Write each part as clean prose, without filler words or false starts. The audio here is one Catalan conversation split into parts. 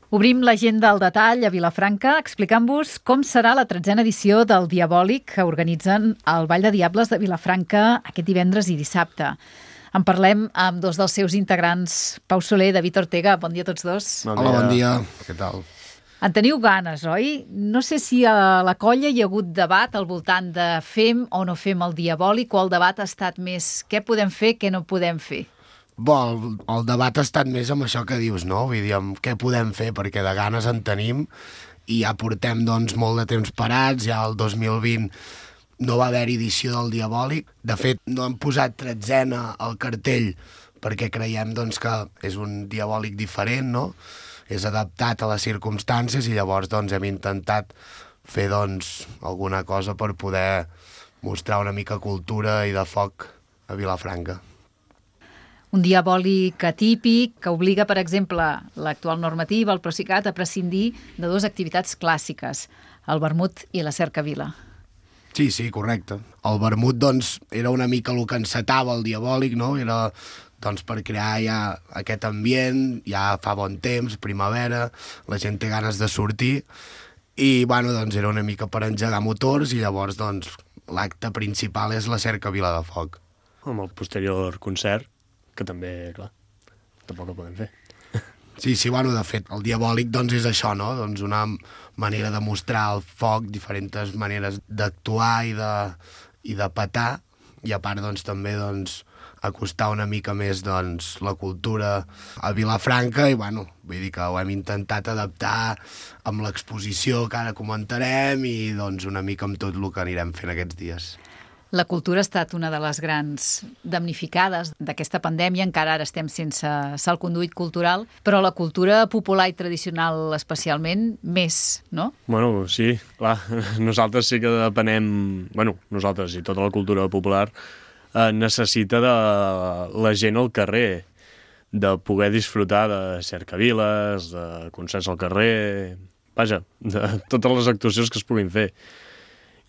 Obrim l'agenda al detall a Vilafranca explicant-vos com serà la 13a edició del Diabòlic que organitzen el Ball de Diables de Vilafranca aquest divendres i dissabte. En parlem amb dos dels seus integrants, Pau Soler i David Ortega. Bon dia a tots dos. Hola, bon dia. Què tal? En teniu ganes, oi? No sé si a la colla hi ha hagut debat al voltant de fem o no fem el Diabòlic, o el debat ha estat més què podem fer, què no podem fer. El debat ha estat més amb això que dius, no? Vull dir, amb què podem fer, perquè de ganes en tenim i ja portem doncs, molt de temps parats, ja el 2020 no va haver edició del Diabòlic. De fet, no hem posat 13a al cartell perquè creiem doncs, que és un Diabòlic diferent, no? És adaptat a les circumstàncies i llavors doncs, hem intentat fer doncs, alguna cosa per poder mostrar una mica cultura i de foc a Vilafranca. Un diabòlic atípic que obliga, per exemple, l'actual normativa, el Procicat, a prescindir de dues activitats clàssiques, el vermut i la cercavila. Sí, correcte. El vermut, doncs, era una mica el que encetava el diabòlic, no? Era, doncs, per crear ja aquest ambient, ja fa bon temps, primavera, la gent té ganes de sortir, i, bueno, doncs, era una mica per engegar motors, i llavors, doncs, l'acte principal és la cercavila de foc. Amb el posterior concert, que també, clar, tampoc ho podem fer. Sí, bueno, de fet, el diabòlic doncs és això, no? Doncs una manera de mostrar el foc, diferents maneres d'actuar i de petar, i a part doncs també doncs acostar una mica més doncs la cultura a Vilafranca i bueno, vull dir que ho hem intentat adaptar amb l'exposició que ara comentarem i doncs una mica amb tot el que anirem fent aquests dies. La cultura ha estat una de les grans damnificades d'aquesta pandèmia, encara ara estem sense salconduit cultural, però la cultura popular i tradicional especialment més, no? Bueno, sí, clar, nosaltres sí que depenem, nosaltres i tota la cultura popular necessita de la gent al carrer, de poder disfrutar de cercaviles, de concerts al carrer, vaja, de totes les actuacions que es puguin fer.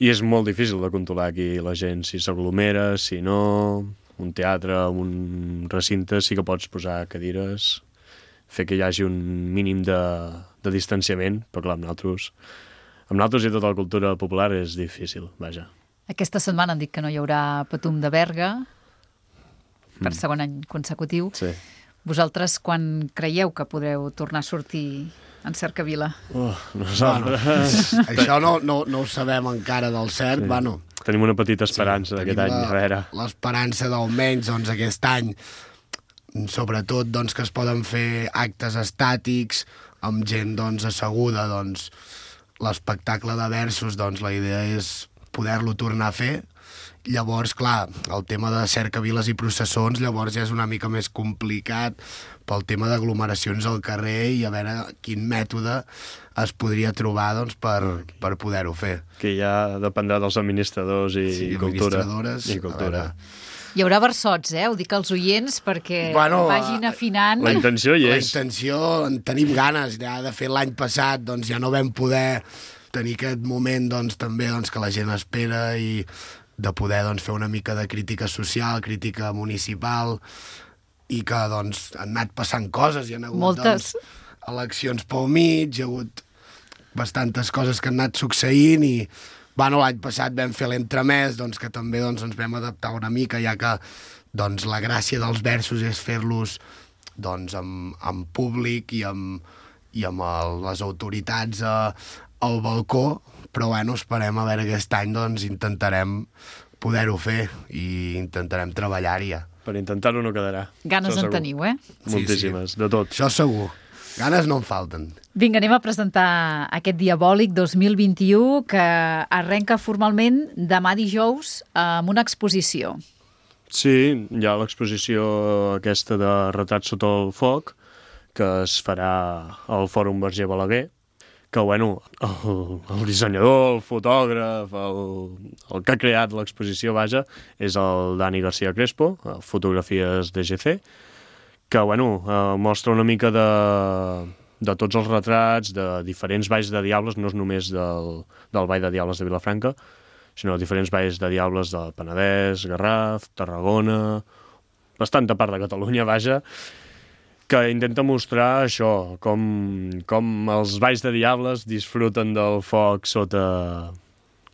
I és molt difícil de controlar aquí la gent, si s'aglomera, si no, un teatre, un recinte, sí que pots posar cadires, fer que hi hagi un mínim de distanciament, però clar, amb nosaltres i tota la cultura popular és difícil, vaja. Aquesta setmana han dit que no hi haurà Patum de Berga, per segon any consecutiu. Sí. Vosaltres, quan creieu que podreu tornar a sortir en cercavila? Nosaltres... Això no ho sabem encara del cert, sí. Tenim una petita esperança d'aquest any, a veure. L'esperança d'almenys, doncs, aquest any, sobretot, doncs, que es poden fer actes estàtics, amb gent, doncs, asseguda, doncs, l'espectacle de versos, doncs, la idea és poder-lo tornar a fer. Llavors, clar, el tema de cercaviles i processons llavors ja és una mica més complicat pel tema d'aglomeracions al carrer i a veure quin mètode es podria trobar doncs, per poder-ho fer. Que ja dependrà dels administradors i cultura. Administradores. I cultura. Hi haurà versots, ho dic als oients perquè vagin afinant. La intenció hi és. La intenció, en tenim ganes. Ja, de fet, l'any passat doncs, ja no vam poder tenir aquest moment doncs, també doncs, que la gent espera i de poder doncs, fer una mica de crítica social, crítica municipal, i que doncs, han anat passant coses, hi ha hagut moltes eleccions pel mig, hi ha hagut bastantes coses que han anat succeint i l'any passat vam fer l'entremès, doncs, que també doncs, ens vam adaptar una mica, ja que doncs, la gràcia dels versos és fer-los doncs, amb públic i amb les autoritats al balcó, però esperem a veure aquest any, doncs intentarem poder-ho fer i intentarem treballar-hi ja. Per intentar-ho no quedarà. Ganes en teniu, Moltíssimes, de tot. Això segur. Ganes no en falten. Vinga, anem a presentar aquest Diabòlic 2021 que arrenca formalment demà dijous amb una exposició. Sí, hi ha l'exposició aquesta de Retrats sota el foc, que es farà al Fòrum Verger Balaguer, que, el dissenyador, el fotògraf, el que ha creat l'exposició, és el Dani García Crespo, fotografies DGC, que, mostra una mica de tots els retrats de diferents balls de diables, no és només del Ball de Diables de Vilafranca, sinó diferents balls de diables del Penedès, Garraf, Tarragona, bastanta part de Catalunya, que intenta mostrar això, com els balls de diables disfruten del foc sota...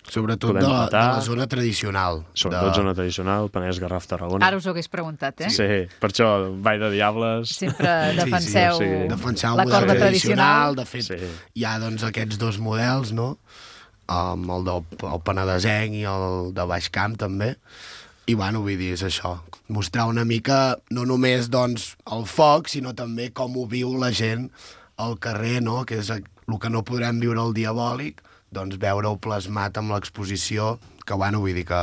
Sobretot de la zona tradicional. Sobretot zona tradicional, Penedès, Garraf, Tarragona. Ara us ho hagués preguntat, eh? Sí, per això, ball de diables... Sempre defenseu defensar la el corda model tradicional. De fet, hi ha doncs, aquests dos models, no? El penedesenc i el de Baix Camp, també. I, bueno, vull dir, és això. Mostrar una mica, no només, doncs, el foc, sinó també com ho viu la gent al carrer, no? Que és el que no podrem viure al Diabòlic, doncs veure-ho plasmat amb l'exposició, que, bueno, vull dir que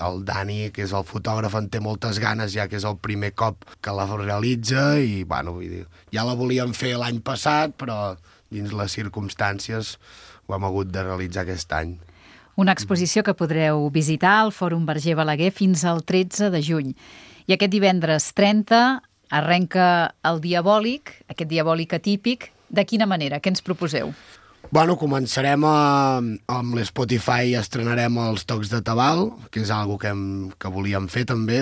el Dani, que és el fotògraf, en té moltes ganes, ja que és el primer cop que la realitza, i, bueno, vull dir, ja la volíem fer l'any passat, però dins les circumstàncies ho hem hagut de realitzar aquest any. Una exposició que podreu visitar al Fòrum Verger Balaguer fins al 13 de juny. I aquest divendres 30 arrenca el Diabòlic, aquest Diabòlic atípic. De quina manera? Què ens proposeu? Bueno, començarem amb l'Spotify i estrenarem els Tocs de Tabal, que és algo que volíem fer també.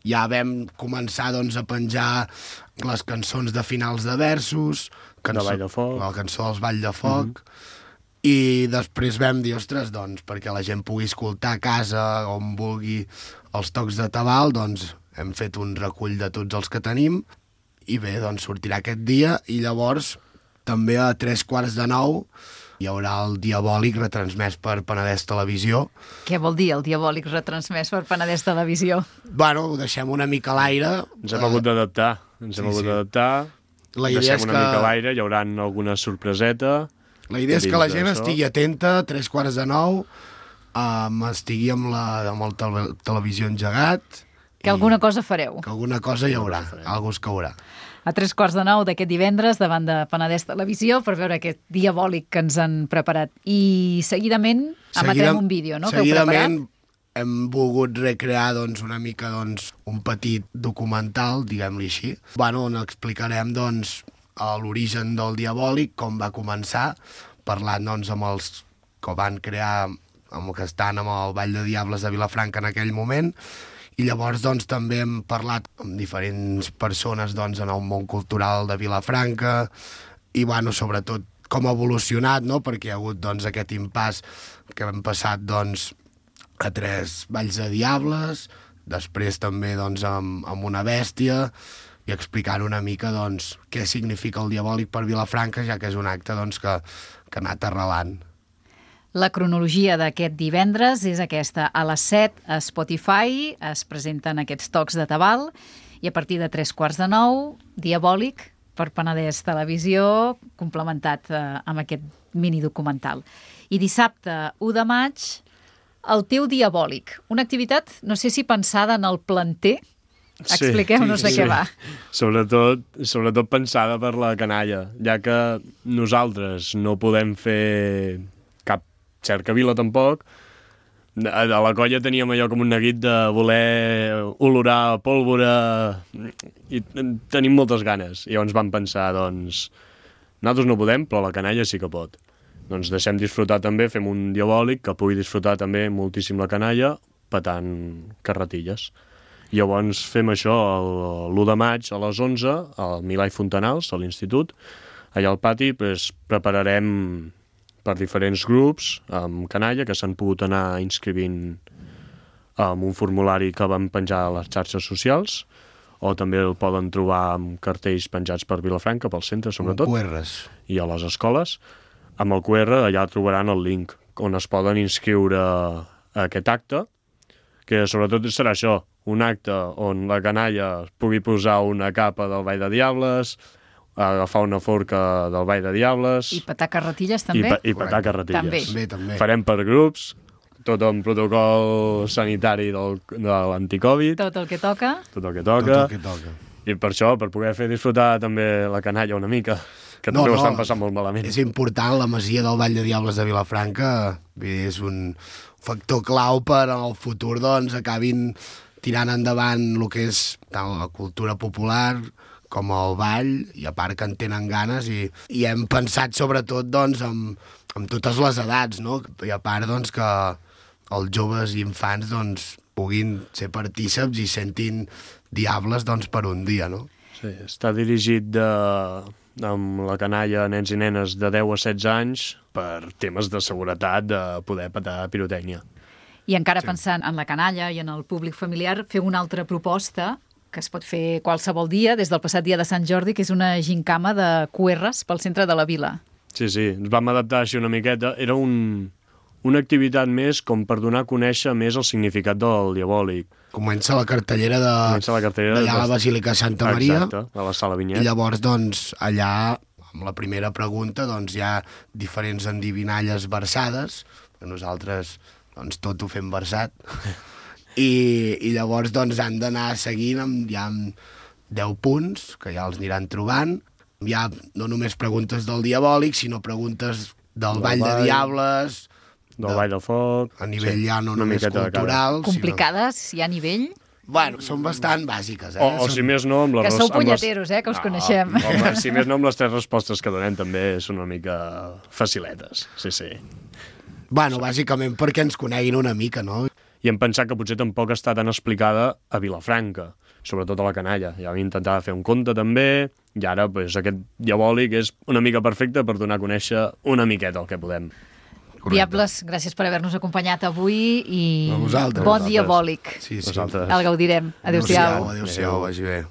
Ja vam començar doncs, a penjar les cançons de finals de versos, de Vall de Foc, la cançó dels Vall de Foc, i després vam dir, ostres, doncs, perquè la gent pugui escoltar a casa on vulgui els Tocs de Tabal, doncs hem fet un recull de tots els que tenim, i bé, doncs sortirà aquest dia, i llavors també a 8:45 hi haurà el Diabòlic retransmès per Penedès Televisió. Què vol dir el Diabòlic retransmès per Penedès Televisió? Bueno, ho deixem una mica a l'aire. Ens hem hagut d'adaptar. La idea és una mica a l'aire, hi haurà alguna sorpreseta. La idea és que la gent estigui atenta, 8:45, estigui amb el televisió engegat. Que alguna cosa fareu. Que alguna cosa hi haurà, alguna es caurà. A 8:45 d'aquest divendres, davant de Penedès Televisió, per veure aquest Diabòlic que ens han preparat. I seguidament emetrem un vídeo, no?, que heu preparat. Seguidament hem volgut recrear doncs, una mica doncs, un petit documental, diguem-li així, on explicarem doncs, l'origen del Diabòlic, com va començar, parlant doncs, amb els que van crear, amb que estan amb el Ball de Diables de Vilafranca en aquell moment. I llavors doncs, també hem parlat amb diferents persones doncs, en el món cultural de Vilafranca i sobretot com ha evolucionat, no? Perquè hi ha hagut doncs, aquest impàs que hem passat doncs, a 3 balls de diables, després també doncs, amb una bèstia, i explicant una mica doncs, què significa el Diabòlic per Vilafranca, ja que és un acte doncs, que ha anat arrelant. La cronologia d'aquest divendres és aquesta. A les 7 a Spotify es presenten aquests Tocs de Tabal i a partir de 8:45, Diabòlic per Penedès Televisió, complementat amb aquest minidocumental. I dissabte, 1 de maig, el teu Diabòlic. Una activitat, no sé si pensada en el planter. Expliqueu-nos de què va. Sobretot pensada per la canalla, ja que nosaltres no podem fer cap cercavila tampoc. A la colla teníem allò com un neguit de voler olorar pólvora i tenim moltes ganes. I llavors vam pensar, doncs, nosaltres no podem, però la canalla sí que pot. Doncs deixem disfrutar també, fem un Diabòlic que pugui disfrutar també moltíssim la canalla petant carretilles. Llavors fem això l'1 de maig a les 11 al Milà i Fontanals, a l'institut. Allà al pati prepararem per diferents grups amb canalla que s'han pogut anar inscrivint amb un formulari que vam penjar a les xarxes socials, o també el poden trobar amb cartells penjats per Vilafranca, pel centre sobretot, i a les escoles. Amb el QR allà trobaran el link on es poden inscriure a aquest acte, que sobretot serà això, un acte on la canalla pugui posar una capa del Ball de Diables, agafar una forca del Ball de Diables... I petar carretilles també? I petar carretilles. També. Farem per grups, tot amb protocol sanitari de l'anticovid. Tot el que toca. I per això, per poder fer disfrutar també la canalla una mica, que també ho estan passant molt malament. És important, la masia del Ball de Diables de Vilafranca és un factor clau per en el futur doncs, acabin tirant endavant el que és tant la cultura popular com el ball, i a part que en tenen ganes, i hem pensat sobretot doncs, amb totes les edats, no? I a part doncs, que els joves i infants doncs, puguin ser partíceps i sentin diables doncs, per un dia, no? Sí, està dirigit amb la canalla nens i nenes de 10 a 16 anys per temes de seguretat, de poder petar pirotècnia. I encara pensant en la canalla i en el públic familiar, feu una altra proposta que es pot fer qualsevol dia, des del passat dia de Sant Jordi, que és una gincama de QRs pel centre de la vila. Sí, ens vam adaptar així una miqueta. Era una activitat més com per donar a conèixer més el significat del diabòlic. Comença la cartellera d'allà a la Basílica de Santa Maria. Exacte, a la Sala Vinyet. I llavors, doncs, allà, amb la primera pregunta, doncs, hi ha diferents endivinalles versades, que nosaltres, doncs, tot ho fem versat. I llavors, doncs, han d'anar seguint hi ha 10 punts, que ja els aniran trobant. Hi ha no només preguntes del diabòlic, sinó preguntes del Ball de Diables, del Ball del Foc... A nivell ja no només cultural... Complicades, hi ha nivell? Bueno, són bastant bàsiques, eh? O si més no... Que sou punyeteros, que us coneixem. Home, si més no, amb les 3 respostes que donem també són una mica faciletes, sí. Bueno, bàsicament perquè ens coneguin una mica, no? I hem pensat que potser tampoc està tan explicada a Vilafranca, sobretot a la canalla. Ja vam intentar fer un conte també, i ara pues, aquest diabòlic és una mica perfecte per donar a conèixer una miqueta el que podem. Correcte. Diables, gràcies per haver-nos acompanyat avui i bon diabòlic. Sí. El gaudirem. Adéu-siau. Adéu-siau, vagi bé.